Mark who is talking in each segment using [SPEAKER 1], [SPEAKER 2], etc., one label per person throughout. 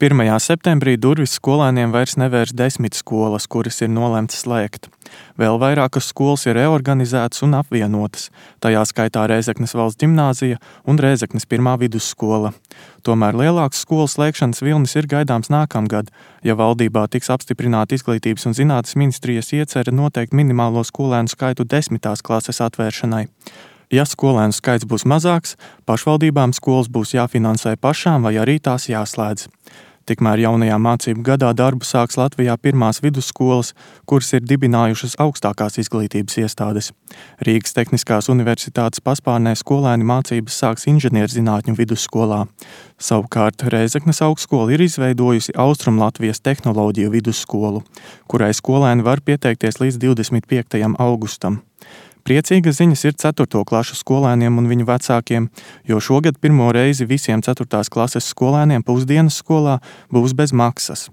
[SPEAKER 1] 1. septembrī durvis skolēniem vairs nevērs 10 skolas, kuras ir nolemtas slēgt. Vēl vairākas skolas ir reorganizētas un apvienotas, tajā skaitā Rēzeknes valsts ģimnāzija un Rēzeknes 1. vidusskola. Tomēr lielāks skolas slēgšanas vilnis ir gaidāms nākamgad, ja valdībā tiks apstiprināta Izglītības un zinātnes ministrijas iecerē noteikt minimālo skolēnu skaitu 10. klases atvēršanai. Ja skolēnu skaits būs mazāks, pašvaldībām skolas būs jāfinansē pašām vai arī tās jāslēdz. Tikmēr jaunajā mācību gadā darbu sāks Latvijā 1. vidusskolas, kuras ir dibinājušas augstākās izglītības iestādes. Rīgas Tehniskās universitātes paspārnē skolēni mācības sāks inženierzinātņu vidusskolā. Savukārt Rēzeknes augstskola ir izveidojusi Austrumlatvijas tehnoloģiju vidusskolu, kurai skolēni var pieteikties līdz 25. augustam. Priecīgas ziņas ir 4. klašu skolēniem un viņu vecākiem, jo šogad pirmo reizi visiem 4. klases skolēniem pusdienas skolā būs bez maksas.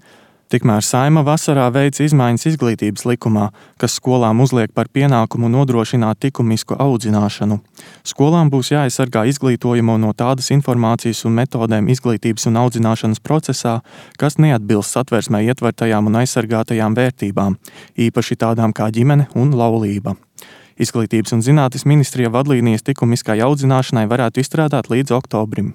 [SPEAKER 1] Tikmēr Saeima vasarā veica izmaiņas izglītības likumā, kas skolām uzliek par pienākumu nodrošināt likumisku audzināšanu. Skolām būs jāaizsargā izglītojamo no tādas informācijas un metodēm izglītības un audzināšanas procesā, kas neatbilst Satversmē ietvertajām un aizsargātajām vērtībām, īpaši tādām kā ģimene un laulība. Izglītības un zinātnes ministrija vadlīnijas likumiskai audzināšanai varētu izstrādāt līdz oktobrim.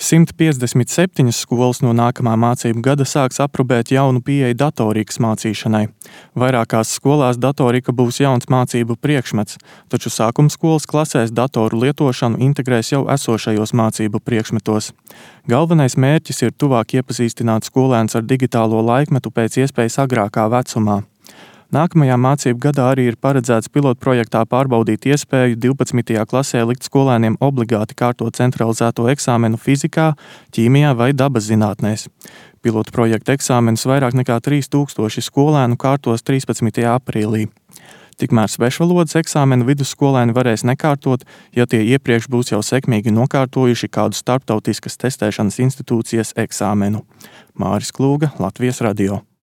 [SPEAKER 1] 157 skolas no nākamā mācību gada sāks aprobēt jaunu pieeju datorikas mācīšanai. Vairākās skolās datorika būs jauns mācību priekšmets, taču sākumskolas klasēs datoru lietošanu integrēs jau esošajos mācību priekšmetos. Galvenais mērķis ir tuvāk iepazīstināt skolēnus ar digitālo laikmetu pēc iespējas agrākā vecumā. Nākamajā mācību gadā arī ir paredzēts pilotprojektā pārbaudīt iespēju 12. klasē likt skolēniem obligāti kārtot centralizēto eksāmenu fizikā, ķīmijā vai dabas zinātnēs. Pilotprojekta eksāmenus vairāk nekā 3000 skolēnu kārtos 13. aprīlī. Tikmēr svešvalodas eksāmenu vidusskolēni varēs nekārtot, ja tie iepriekš būs jau sekmīgi nokārtojuši kādu starptautiskas testēšanas institūcijas eksāmenu. Māris Klūga, Latvijas radio.